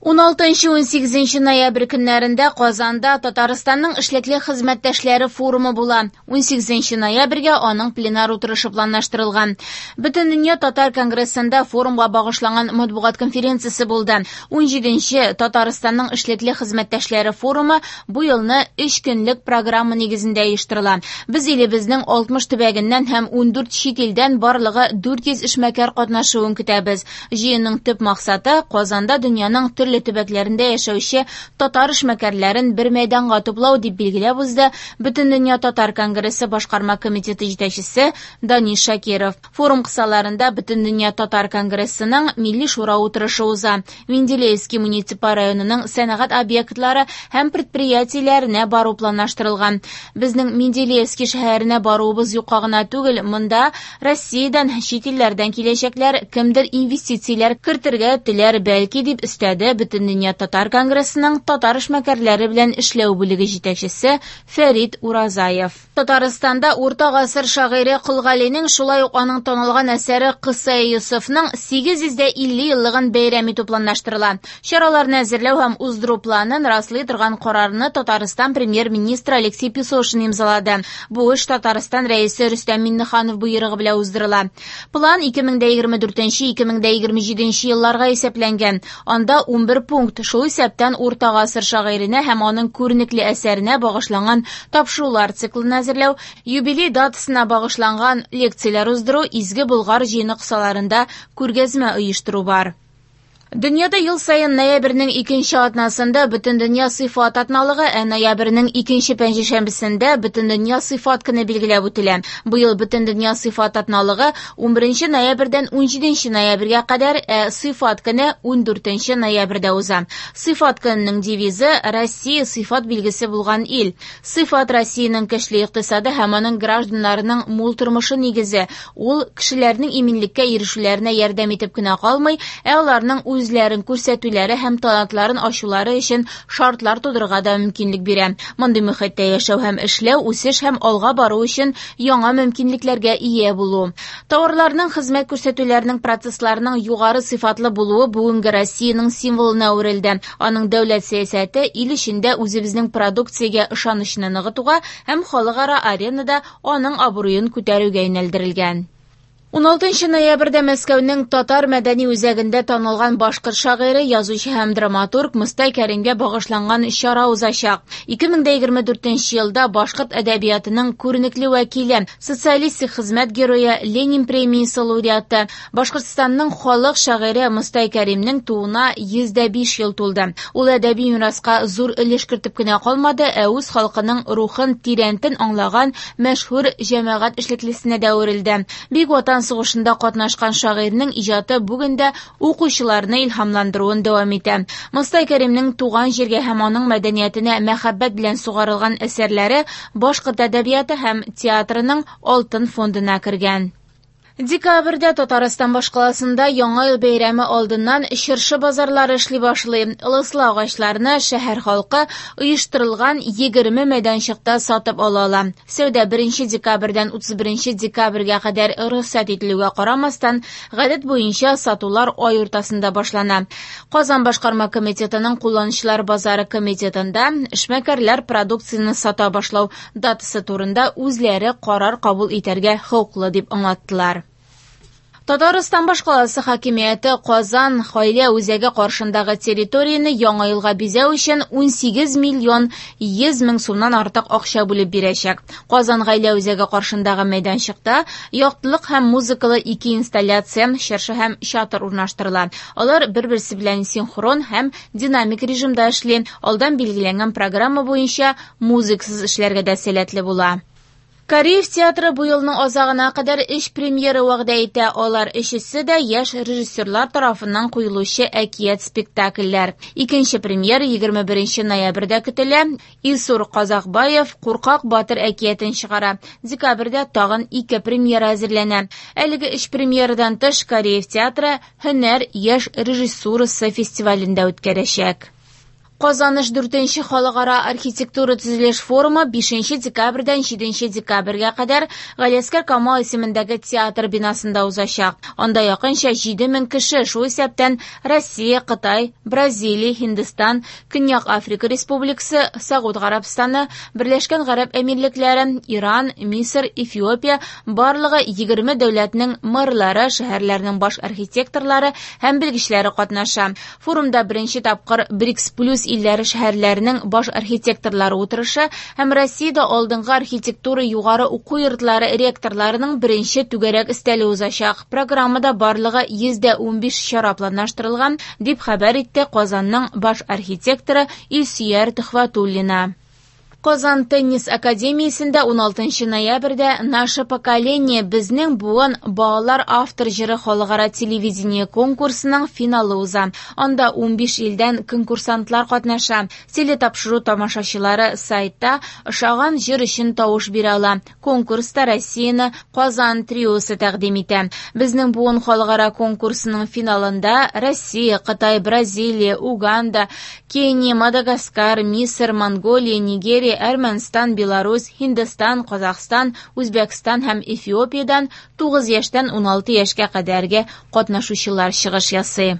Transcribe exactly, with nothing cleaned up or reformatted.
уналтынчы-унсигезенче ноябрь көннәрендә Казанда Татарстанның эшлекле хезмәттәшләре форумы була. унсигезенче ноябрьгә аның пленар утырышы планлаштырылган. Бөтендөнья татар конгрессында форумга багышланган матбугат конференциясе булды. унҗиденче Татарстанның эшлекле хезмәттәшләре форумы бу елны өч көнлек программа нигезендә оештырыла. Без илебезнең алтмыш төбәгеннән һәм ундүрт чит илдән барлыгы дүрт йөз эшмәкәр катнашуын көтәбез. Җыенның төп максаты Казанда дөньяның төрле төбәкләрендә яшәүче татар эшмәкәрләрен бер мәйданга туплау, дип билгеләп узды Бөтендөнья татар конгрессы башкарма комитеты җитәкчесе Данис Шакиров. Форум кысаларында Бөтендөнья татар конгрессының Милли шура утырышы уза. Менделеевский муниципаль районының сәнәгать объектлары һәм предприятиеләренә бару планлаштырылган. Безнең Менделеевский шәһәренә баруыбыз юкка гына түгел, монда Россиядән, чит илләрдән киләчәкләр, кемдер инвестицияләр кертергә теләр бәлки, дип өстәде Бөтендөнья татар конгрессының татар эшмәкәрләре белән эшләү бүлеге җитәкчесе Фәрит Уразаев. Татарстанда урта гасыр шагыйре Кол Галинең, шулай ук аның танылган әсәре Кыссаи Йосыфның сигез йөз дә илле еллыгын бәйрәм итү планлаштырыла. Чараларны әзерләү һәм уздыру планын раслый торган карарны Татарстан премьер-министры Алексей Песошин имзалады. Бу эш Татарстан рәисе Рөстәм Миңнеханов боерыгы белән уздырыла. План ике мең дә егерме дүртенче, ике мең дә егерме җиденче елларга исәпләнгән. Анда унбер пункт, шул исәптән урта гасыр шагыйренә һәм аның күренекле әсәренә багышланган тапшырулар циклын әзерләү, юбилей датасына багышланган лекцияләр уздыру, Изге Болгар җыены кысаларында күргәзмә оештыру бар. Дөньяда ел саен ноябрьнең икенче атнасында Бөтендөнья сыйфат атналыгы, ә ноябрьнең икенче пәнҗешәмбесендә Бөтендөнья сыйфат көне билгеләп үтелә. Быел Бөтендөнья сыйфат атналыгы унберенче ноябрьдән унҗиденче ноябрьгә кадәр, ә сыйфат көне ундүртенче ноябрьдә уза. Сыйфат көненең девизы Россия сыйфат билгесе булган ил. Сыйфат Россиянең көчле икътисады һәм аның гражданнарының мул тормышы нигезе. Ул кешеләрнең иминлеккә ирешүләренә ярдәм итеп кенә калмый, ә аларның үз үзләрен күрсәтүләре һәм талантларын ачулары өчен шартлар тудырырга да мөмкинлек бирә. Мондый мөхиттә яшәү һәм эшләү, үсеш һәм алга бару өчен яңа мөмкинлекләргә ия булу. Тауарларның, хезмәт күрсәтүләрнең, процессларның югары сыйфатлы булуы бүгенге Россиянең символына әверелде. Аның дәүләт сәясәте ил эчендә үзебезнең продукциягә ышанычны ныгытуга һәм халыкара аренада аның абруен күтәрүгә юнәлдерелгән. Уналтынчы ноябрьдә Мәскәүнең Татар мәдәни үзәгендә танылган башкорт шагыйре, язучы һәм драматург Мостай Кәримгә багышланган чара узачак. Ике мең дә егерме дүртенче елда башкорт әдәбиятының күренекле вәкиле, социалистик хезмәт герое, Ленин премиясе лауреаты, Башкортстанның халык шагыйре Мостай Кәримнең тууына йөз дә биш ел тулды. Ул әдәби мираска зур өлеш кертеп кенә калмады, ә үз халкының рухын тирәнтен аңлаган мәшһүр җәмәгать эшлеклесенә дә әверелде. Бөек Ватан сугышында катнашкан шагыйрьнең иҗаты бүген дә укучыларны илһамландыруын дәвам итә. Мостай Кәримнең туган җиргә һәм аның мәдәниятенә мәхәббәт белән сугарылган әсәрләре башкорт әдәбияты һәм театрының алтын фондына кергән. Декабрьдә Татарстан башкаласында Яңа ел бәйрәме алдыннан чыршы базарлары эшли башлый. Ылыслы агачларны шәһәр халкы оештырылган егерме мәйданчыкта сатып ала ала. Сәүдә беренче декабрьдән утыз беренче декабрьгә кадәр рөхсәт ителүгә карамастан, гадәт буенча сатулар ай уртасында башлана. Казан башкарма комитетының кулланучылар базары комитетында эшмәкәрләр продукцияне сата башлау датасы турында үзләре карар кабул итәргә хокуклы дип аңлаттылар. Татарстан башкаласы хакимияте Казан гаилә үзәге каршындагы территорияне яңа елга бизәү өчен унсигез миллион йөз мең сумнан артык акча бүлеп бирәчәк. Казан гаилә үзәге каршындагы мәйданчыкта яктылык һәм музыкалы ике инсталляция, чыршы һәм чатыр урнаштырыла. Алар бер-берсе белән синхрон һәм динамик режимда эшли. Алдан билгеләнгән программа буенча музыкасыз эшләргә дә сәләтле була. Кариев театры бу елның азагына кадәр өч премьера вәгъдә итә. Алар өчесе дә яшь режиссерлар тарафыннан куелучы әкият спектакльләр. Икенче премьера егерме беренче ноябрьдә көтелә. Илсур Казакбаев Куркак батыр әкиятен чыгара. Декабрьдә тагын ике премьера әзерләнә. Әлеге өч премьерадан тыш Кариев театры Һөнәр яшь режиссурасы фестивалендә үткәрәчәк. Казаныш дүртенче халыкара архитектура төзелеш форумы бишенче декабрьдән җиденче декабрьгә кадәр Галиәсгар Камал исемендәге театр бинасында узачак. Анда якынча җиде мең кеше, шул исәптән Россия, Кытай, Бразилия, Һиндстан, Көньяк Африка Республикасы, Согуд Гарәбстаны, Берләшкән Гарәп Әмирлекләре, Иран, Мисыр, Эфиопия, барлыгы егерме дәүләтнең мэрлары, шәһәрләрнең баш архитекторлары һәм белгечләре катнаша. Форумда беренче тапкыр БРИКС плюс илләре шәһәрләренең баш архитекторлары утырышы һәм Россиядә алдынгы архитектура югары уку йортлары ректорларының беренче түгәрәк өстәле узачак. Программада барлыгы йөз дә унбиш чара планлаштырылган, дип хәбәр итте Казанның баш архитекторы Илсөяр Төхвәтуллина. Казан теннис академиясендә уналтынчы ноябрьдә «Наше поколение» безнең буын балалар автор җыры халыкара телевидение конкурсының финалы уза. Анда унбиш илдән конкурсантлар катнаша. Телетапшыру тамашачылары сайтта ошаган җыр өчен тавыш бирә ала. Конкурста Россияне Казан триосы тәкъдим итә. Безнең буын халыкара конкурсының финалында Россия, Кытай, Бразилия, Уганда, Кения, Мадагаскар, Мисыр, Монголия, Нигерия, Әрмәнстан, Беларусь, Һиндстан, Казахстан, Үзбәкстан һәм Эфиопиядән тугыз яшьтән уналты яшькә кадәрге катнашучылар чыгыш ясый.